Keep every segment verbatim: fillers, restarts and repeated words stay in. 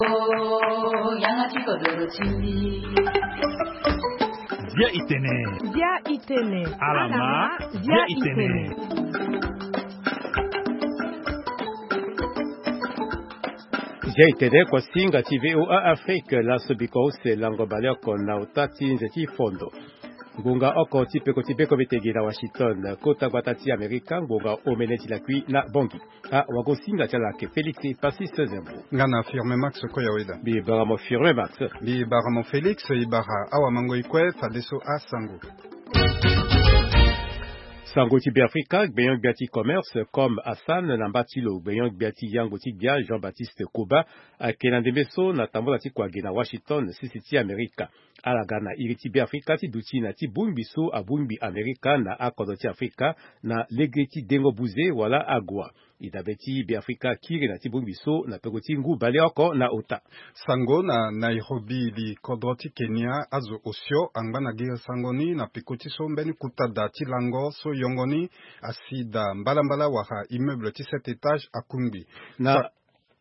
Oh, yanga ti kodoro ti mbi. Bia itene. Bia itene. Alama, bia itene. Bia itene, kuasinga ti V O A Afrique, laso biko use lango baleoko na ota ti nze ti fondo. Ngonga oko ti peko ti beko bete gi na Washington, kota gbata ti Amerika, ngonga omene ti lakui na Bangui. Ah, wagosinga ti ala ayeke Félix Passis Zembo. Nga na Firme Max Koyaweda. Mbi bara mo Firme Max. Mbi bara mo Félix, e bara awamango e kue fadeso asango. Sango ti Beafrika, gbenyo-gbia ti commerce, Com Hassan, na mba ti lo gbenyo-gbia ti yango ti gbia, Jean-Baptiste Koba, ayeke na ndembe so na tambula ti kua gi na Washington, sese ti Amerika. Ala ga na iri ti Beafrika ti duti na ti bongbi so abongbi Amerika na akodro ti Afrika na lege ti dengo buze wala AGOA. E dabe ti Beafrika akiri na ti bongbi so na peko ti ngu bale oko na ota. Sango na Nairobi, li kodro ti Kenya azo osio angba na gi sango ni na peko ti so mbeni kuta da ti lango so yongo ni asi da mbalambala wala immeuble ti sept étages akungbi. Na Sa-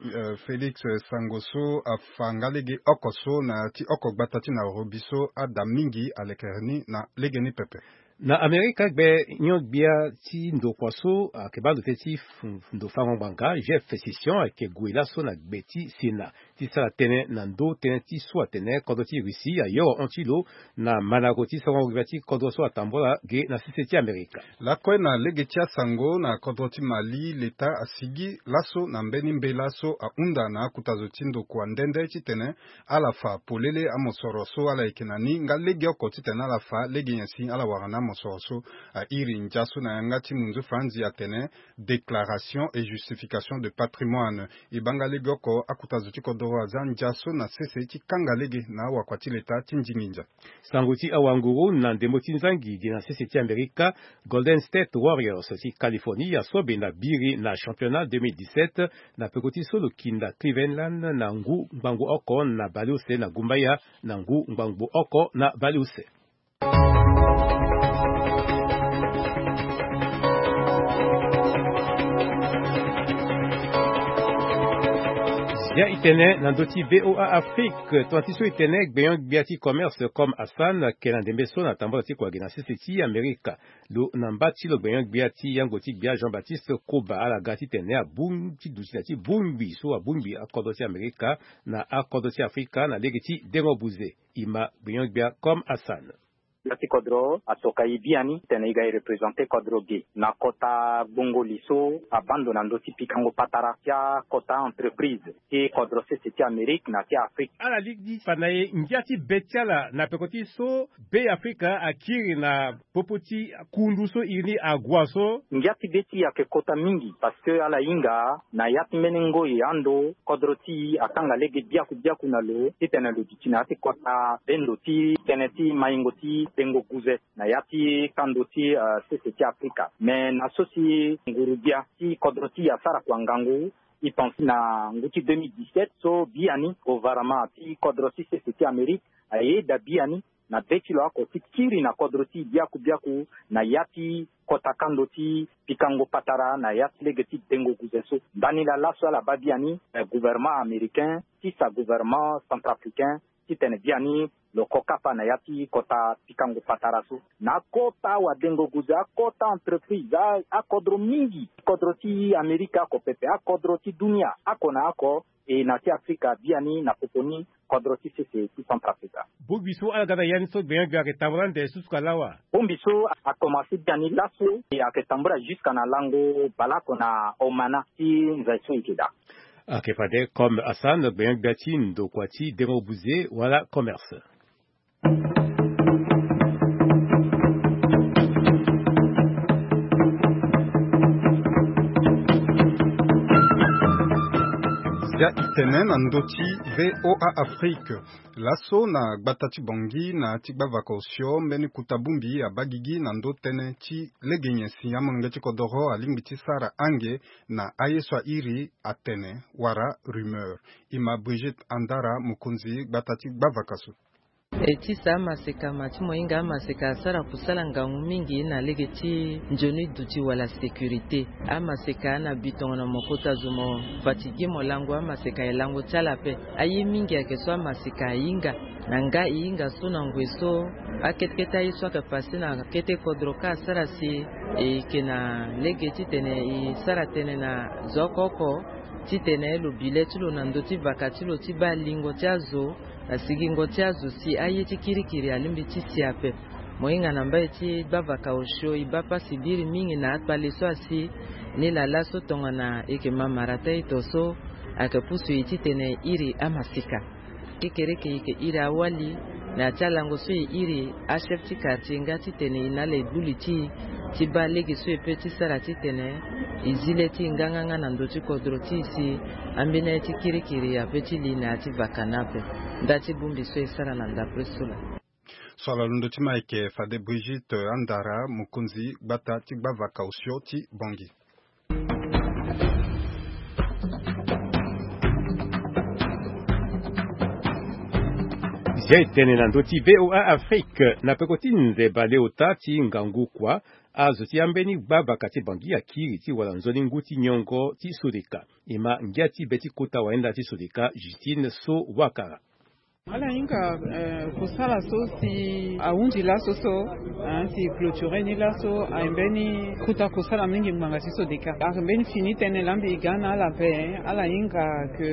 Euh, Félix, euh, sango so afa nga lege oko so na ya ti oko gbata ti Nairobi so ada mingi alekere ni na lege ni pepe. Na Amerika, gbenyo-gbia ti ndokua so ayeke baa ndo tënë ti f- ndo fango ngbanga, Jeff Sessions, ayeke gue laso na gbe ti Sénat ti sara tënë na ndö tënë ti so atene kodro ti Russie ayoro hon ti lo na mandango ti sango gbia ti kodro so atambula ge na sese ti Amerika. Lakue na lege ti asango na kodro ti Mali, leta asigi laso na mbeni mbela so ahunda na akota zo ti ndokua nde nde titene ala fa polele amosoro so ala yeke na ni, nga lege oko titene ala fa lege nyen si ala wara na amosoro so. Airi ndia so na yanga ti munzu faranzi atene déclaration et justification de patrimoine. E baa nga lege oko akota zo ti kodoro aza ndia so na sese ti kanga lege na awakua ti leta ti ndingi ndia. Sango ti awanguru na ndembo ti nzangi gi na sese ti Amerika, Golden State Warriors ti Californie asobe na biri na championnat deux mille dix-sept na peko ti so lo kinda Cleveland na ngu ngbangbo oko na baleuse na gumbaya na ngu ngbangbo oko na baleuse. Bia itene na ndö ti V O A Afrique, tonga ti so itene gbenyo-gbia ti commerce Com Hassan ayeke na ndembe so na tambula ti kua gi na sese ti Amerika. Lo na mba ti lo gbenyo-gbia ti yango ti gbia Jean-Baptiste Koba ala ga titene abongbi ti duti na ti bongbi so abongbi akodro ti Amerika na akodro ti Afrika na lege ti dengo buze. E ma gbenyo-gbia Com Hassan. Gbia ti kodro atoka e biani titene e ga e représenter kodro ge na kota gbongoli so abaa ndo na ndö ti pikango patara ti akota entreprise ti kodro sese ti Amerike na ti Afrike. Ala lingbi fa na e ngia ti be ti ala na peko ti so Beafrika akiri na popo ti kundu so iri ni AGOA so. Ngia ti be ti e ayeke kota mingi parce que ala hinga na ya ti mbeni ngoi ando kodro ti e akanga lege biaku biaku na lo titene lo duti na ya ti kota bendo ti tënë ti maingo ti dengo guze na ya ti kando ti, euh, sese ti Afrika. Me na so si nguru-gbia ti kodro ti e asara kua ngangu, e pense na ngu ti deux mille dix-sept so biani gouvernement ti kodro ti sese ti Amerike ayeda biani na be ti lo oko ti kiri na kodro ti e biaku biaku na ya ti kota kando ti pikango patara na ya ti lege ti dengo guze so. Ndani laa laso ala baa biani, eh, gouvernement américain ti sa gouvernement centrafricain titene biani lo ko kapa na ya ti kota pikango patara so. Na akota wadengo guze, akota entreprise, a- akodro mingi, kodro ti Amerike oko pepe, akodro ti dunia oko na oko, e na ti Afrika biani na popo ni kodro ti sese ti Centrafrica. Bongbi so ala ga na ya ni so gbenyo-gbia ayeke tambula ande susuka lawa. Bongbi so akomanse biani laso e ayeke tambula jusque na lango baleoko na Omana ti nze so e yeke daa. Ayeke fade comme Hassan, gbenyo-gbia ti ndokua ti dengo buze wala commerce. Zia e tene na ndö ti V O A Afrique. Laso na gbata ti Bangui na ti gbavaka osio mbeni kuta bongbi abaa gigi na ndö tënë ti lege nyen si amolenge ti kodoro alingbi ti sara ange na aye so airi atene wala rumeur. E ma Brigitte Andara, mokonzi gbata ti gbavaka so. E ti sa amaseka ma ti mo hinga amaseka asara kusala ngangu mingi na lege ti nzoni duti wala sécurité. Amaseka na bi tongana mo kota zo mo fatigué mo lango amaseka e lango ti ala ape. Aye mingi ayeke so amaseka ahinga na nga e hinga so na ngoi so akete kete aye so ayeke passé na kete kodro ka asara si e yeke na lege titene e sara tënë na zo oko oko titene lo bi le ti lo na ndö ti vaka ti lo ti baa lingo ti azo na sigingo ti azo si aye ti kirikiri alingbi ti si ape. Mo hinga na mbai ti gbavaka osio e baa pasi biri mingi na akpale so asi ni laa laso tongana e yeke ma mara ta ito so ayeke pusu e titene e iri amasika. Kekereke e yeke iri awali na ya ti alango so e iri achef ti quartier nga titene e na ala e gbu li ti e ti baa lege so e pe ti sara titene e zi le ti e nganganga na ndö ti kodro ti e si ambeni aye ti kirikiri ape ti li na ya ti vaka ni ape. Nda ti bongbi so e sara na ndapre so laa. So ala londo ti ma ayeke fade Brigitte Andara, mokonzi gbata ti gbavaka osio ti Bangui. Zia e tene na ndö ti V O A Afrique na peko ti nze baleota ti ngangu kua, azo ti ambeni gbavaka ti Bangui akiri ti wara nzoni ngu ti nyongo ti Sodeka. E ma ngia ti be ti kota wahinda ti Sodeka Justine So Wakara. Ala hinga eh, kosala so si ahundi laso so, ah, si clôturer ni laso aye mbeni kota kosala mingi ngbanga ti Sodeka. Ayeke mbeni fini tënë laa mbi ga na ala ape. Ala hinga ke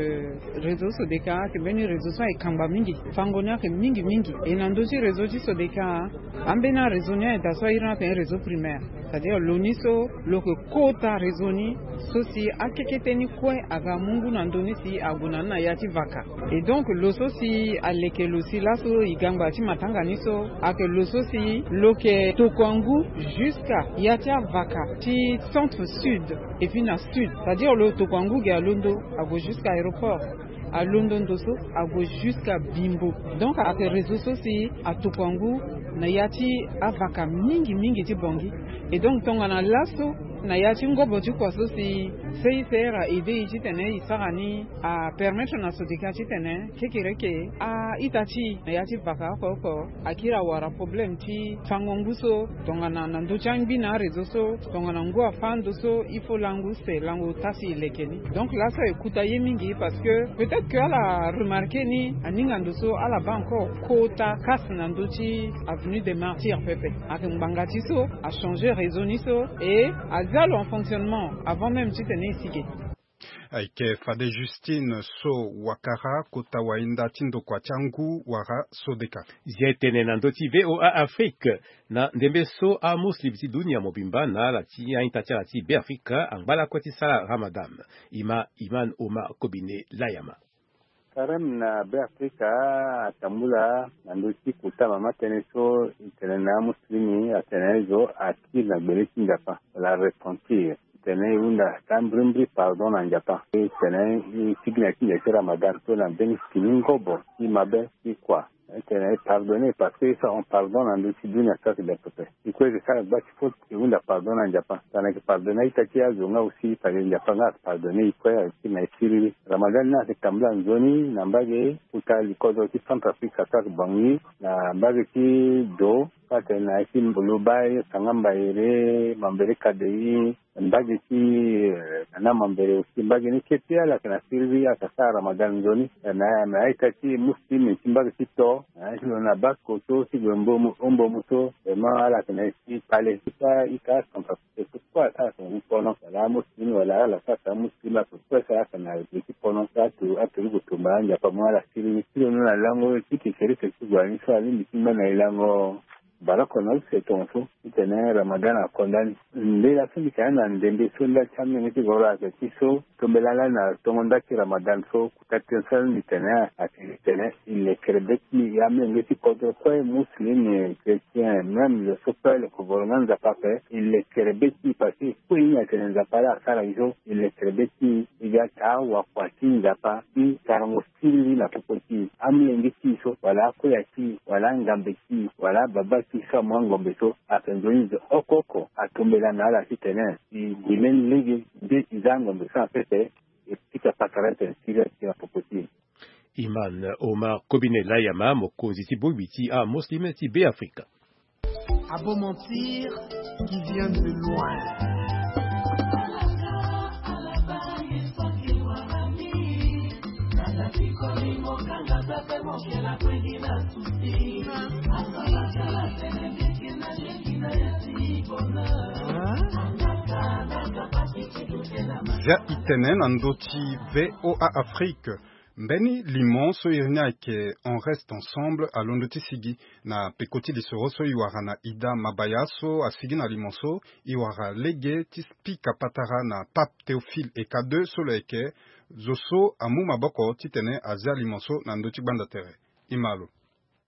réseau Sodeka ayeke mbeni réseau so ayeke kangba mingi. Fango ni ayeke mingi mingi. E na ndö ti réseau ti Sodeka, ambeni aréseau ni ayeke daa so a iri ni atene réseau primaire. C'est-à-dire lo ni so lo yeke kota réseau ni so si akekete ni kue aga mu ngu na ndö ni si ague na ni na ya ti vaka. Et donc lo so si aleke lo si laso e ga ngba ti matanga ni so ayeke lo so si lo yeke tokua ngu jusqu'à ya ti avaka ti centre sud et puis na sud. C'est-à-dire lo tokua ngu ge alondo ague jusqu'à aéroport. Alondo ndo so ague jusqu'à Bimbo. Donc ayeke réseau so si atokua ngu na ya ti avaka mingi mingi ti Bangui. Et donc tongana laso na ya ti ngobo ti kua so si C I C R a aidé e titene e sara ni, apermettre na Sodeka titene kekereke a-ita ti e na ya ti vaka oko oko akiri awara problème ti fango ngu so, tongana na ndö ti angbi na aréseau so, tongana ngu afâ ndo so il faut lango use lango ota si e leke ni. Donc laso e kuta ye mingi parce que peut-être que ala remarqué ni aninga ndo so ala baa encore kota casse na ndö ti avenue des Martyrs pepe. Ayeke ngbanga ti so achangé réseau ni so et azia lo en fonctionnement avant même titene e si ge. Ayeke fade Justine So Wakara, kota wahinda ti ndokua ti angu wala Sodeka. Zia e tene na ndö ti V O A Afrique. Na ndembe so amuslim ti dunia mobimba na ala ti a-ita ti ala ti Beafrika angba lakue ti sara Ramadan. E ma Iman Omar Kobine Layama. Karême na Beafrika atambula na ndö ti kota mama tënë so e tene na amuslimi atene zo akiri na gbele ti Nzapa wala repentir. Tene e hunda taa mbrimbri pardon na Nzapa. E tene e tigi na ti nze ti Ramadan so na mbeni fini ngobo ti mabe ti kua. E tene e pardonné parce que e sara pardon na ndö ti dunia so ayeke daa pepe. E kue e yeke sara gba ti faute e hunda pardon na Nzapa. Tongana e yeke pardonné a-ita ti e azo nga aussi fade Nzapa nga ayeke pardonné e kue ayeke na e siriri. Ramadan ni ayeke tambula nzoni na mbage kota likodro ti Centrafrique so ayeke Bangui na mbage ti do so atene na ya ti Mbuluba, Sangambayere, Mambere Kadei, mbage ti, eh, Nana Mambere aussi, mbage ni kete ala yeke na siriri, ala yeke sara Ramadan nzoni. Eh, na, na a-ita ti muslim ti mbage ti to, eh, ti lo na bas koto ti gue mbomu, o mbomu so, vraiment ala yeke na e ti kpale. Ti fa ika Centrafrique so kue asara tongana ti pono, wala amuslim wala ala sara tongana amuslim ape kue so ala yeke na gue ti pono. Atu, aturugu tumba Nzapa mu ala siriri. Ti lo na lango ti kekereke ti gue ni so alingbi ti ngba na e lango. Baroko na use tongaso titene Ramadan akonda ni. Mbela so mbi tene na ndembe so nda ti amenge ti goro ayeke ti so tombela lani na tongo nda ti Ramadan so kota tënë so mbi tene ayeke titene e lekere be ti e amenge ti kodro kue muslim, chrétien, même zo so kue lo yeke voro nga Nzapa ape e lekere be ti e parce que e kue ye ni atene Nzapa laa asara e so e lekere be ti e. E ga taa wakua ti Nzapa ti sarango siriri na popo ti e. Amolenge ti e so wala akoya ti e wala angambe ti e wala ababa ti e so amu angombe so ayeke nzoni zo oko oko atombela na ala titene e gi mbeni lege nde e za angombe so na pepe e pika patara tene siriri ti e na popo ti e. Imam Omar Kobine Layama, mokonzi ti bongbi ti amuslim ti Beafrika. A beau mentir qui vient de loin. Zia itene na ndö ti V O A Afrique. Mbeni limo so iri ni ayeke On reste ensemble alondo ti sigi na peko ti lisoro so e wara na Ida Mabaya so asigi na limo so e wara lege ti spika patara na Pape Théophile Eka deux so lo yeke zo so amu maboko titene azia limo so na ndö ti gbanda tere. E ma lo.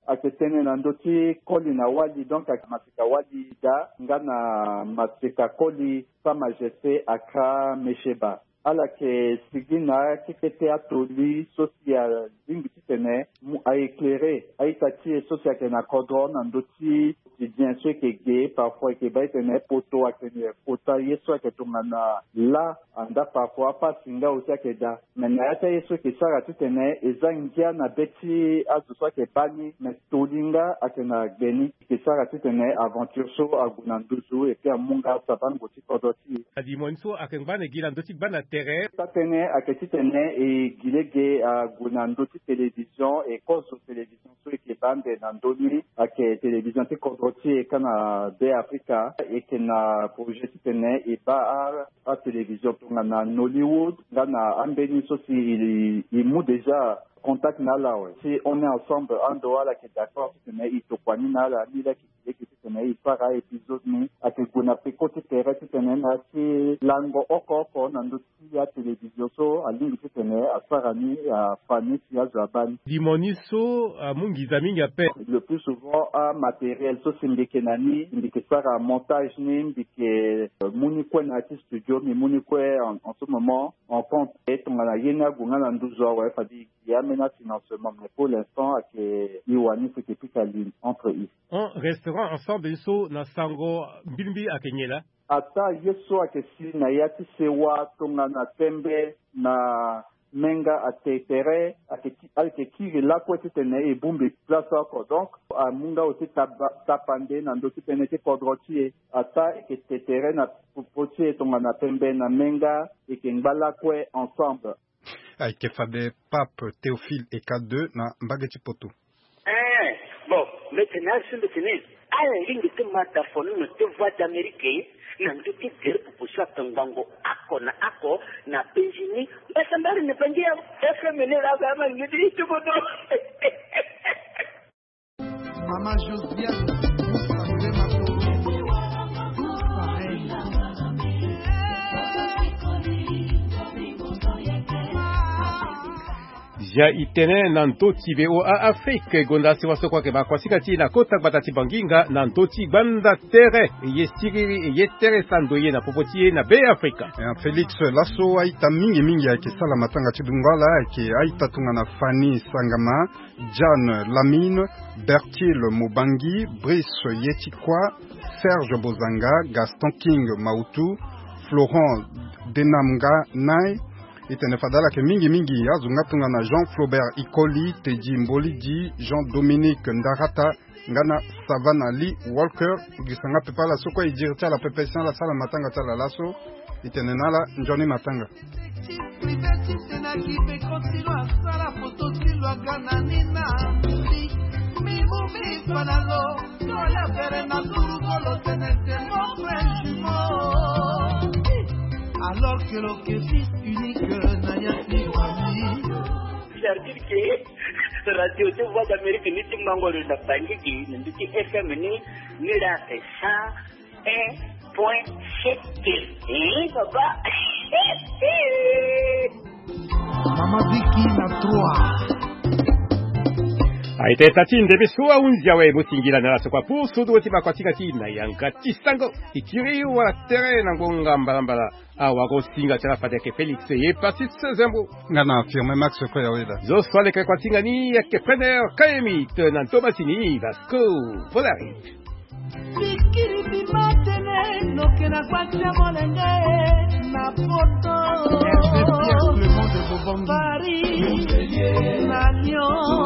Ayeke tënë na ndö ti koli na wali, donc ayeke maseka wali Ida nga na maseka koli Sa Majesté Accra Mecheba. Ala yeke sigi na akekete atoli so si alingbi titene mu a éclairer a-ita ti e so si ayeke na kodro na ndö ti quotidien so e yeke ge. Parfois e yeke baa titene poto ayeke kota ye so ayeke tongana lâ, andaa parfois apasi nga aussi ayeke daa. Me na ya ti aye so e yeke sara titene e za ngia na be ti azo so ayeke baa ni, me toli nga ayeke na gbe ni. E yeke sara titene aventure so ague na nduzu, et puis amu nga sabango ti kodro ti e. Alimo ni so ayeke ngba na e gi na ndö ti gbanda tere. Taa-tënë ayeke titene e gi lege ague na ndö ti télévision, e kozo télévision so e yeke baa ande na ndö ni ayeke télévision ti kodro ti e ka na Beafrika. E yeke na projet titene e baa atélévision tongana Nollywood nga na ambeni so si e, e mu déjà contact na ala awe. Si On est ensemble ando ala yeke d'accord titene e tokua ni na ala, ni laa e yeke gi lege titene e sara a-épisode ni. Ayeke gue na peko ti tere titene na ya ti lango oko oko na ndö ti atélévision so alingbi titene asara ni, afa ni si azo abaa ni. Limo ni so amu nginza mingi ape. Le plus souvent amatériel so si mbi yeke na ni, mbi yeke sara montage ni, mbi yeke, euh, mu ni kue na ya ti studio, mbi mu ni kue en, en ce moment en compte. E tongana ye ni ague nga na nduzu awe, fade e gi ambeni afinancement, mais pour l'instant ayeke e wani si e yeke pika li entre e. On restera ensemble ni so na sango mbilimbili ayeke nyen laa? Ataa ye so ayeke si na ya ti sewa tongana tembe na menga ate tere, ayeke ki, ayeke kiri lakue titene e bongbi place oko. Donc amu nga aussi taba, tapande na ndö ti tënë ti kodro ti e. Ataa e yeke te tere na popo ti e tongana tembe na menga, e yeke ngba lakue ensemble. Ayeke fade Pape Théophile Eka deux na mbage ti poto. Eh, bon, mbi tene azo mbi tene ala lingbi ti ma da fonono ti Voix d'Amérique na ndö ti gere popo so ayeke ngbongo oko na oko na penzi ni. Mbasambara na bangi ya F M ni laa, ama lingbi ti ti bodo. Mama Josiane, vous savez ma chérie. Vous savez. Zia itene na ndö ti V O A Afrique, gonda sewa so kue ayeke baa kuasinga ti e na kota gbata ti Banginga na ndö ti gbanda tere. Ye siriri, ye tere sa ndoye na popo ti e na Beafrika. Eh, Félix, laso a-ita mingi mingi ayeke sala matanga ti dungo ala, ayeke a-ita tongana Fanny Sangama, Jeanne Lamine, Bertil Mobangi, Brice Yetikwa, Serge Bozanga, Gaston King Mautu, Florent Denamga Nai. E tene fade ala yeke mingi mingi azo nga tongana Jean Flaubert Ikoli, Teddy Mbolidi, Jean Dominique Ndarata, nga na Savana Lee Walker. Gisa nga pepe ala so kue e diri ti ala pepe si ala sala matanga ti ala laso. E tene na ala nzoni matanga. Privé ti Sénac Pekotilo asala foto ti lo aga na ni na mbi. Mbi mu mbi fa na lo, lo ya fere na kuru kolo tene c'est mon frère jumeau. Alors que lo yeke fils unique na ya ti famille. Jardin ke radio ti Voix d'Amérique ni ti mango lo na Bangui gi na ndö ti F M ni, ni la ake cent un point sept. Eh, papa. Mama Vicky na trois. Aita ita ti ndembe so ahunzi awe mo singila na ala so kua pour so duo ti bakuasinga ti na yanga ti sango. E kiri wala tere na ngonga mbalambala. Awara singa ti ala fade ayeke Félix ye Patrice Zembo. Nga na Firmin Max Koyaweda. Zo so aleke kuasinga ni ayeke Preneur Kayemi, na nto masini Vasco Polari. Bikiri bima tene, lo yeke na kpati ya molenge na poto. Paris, na Lyon.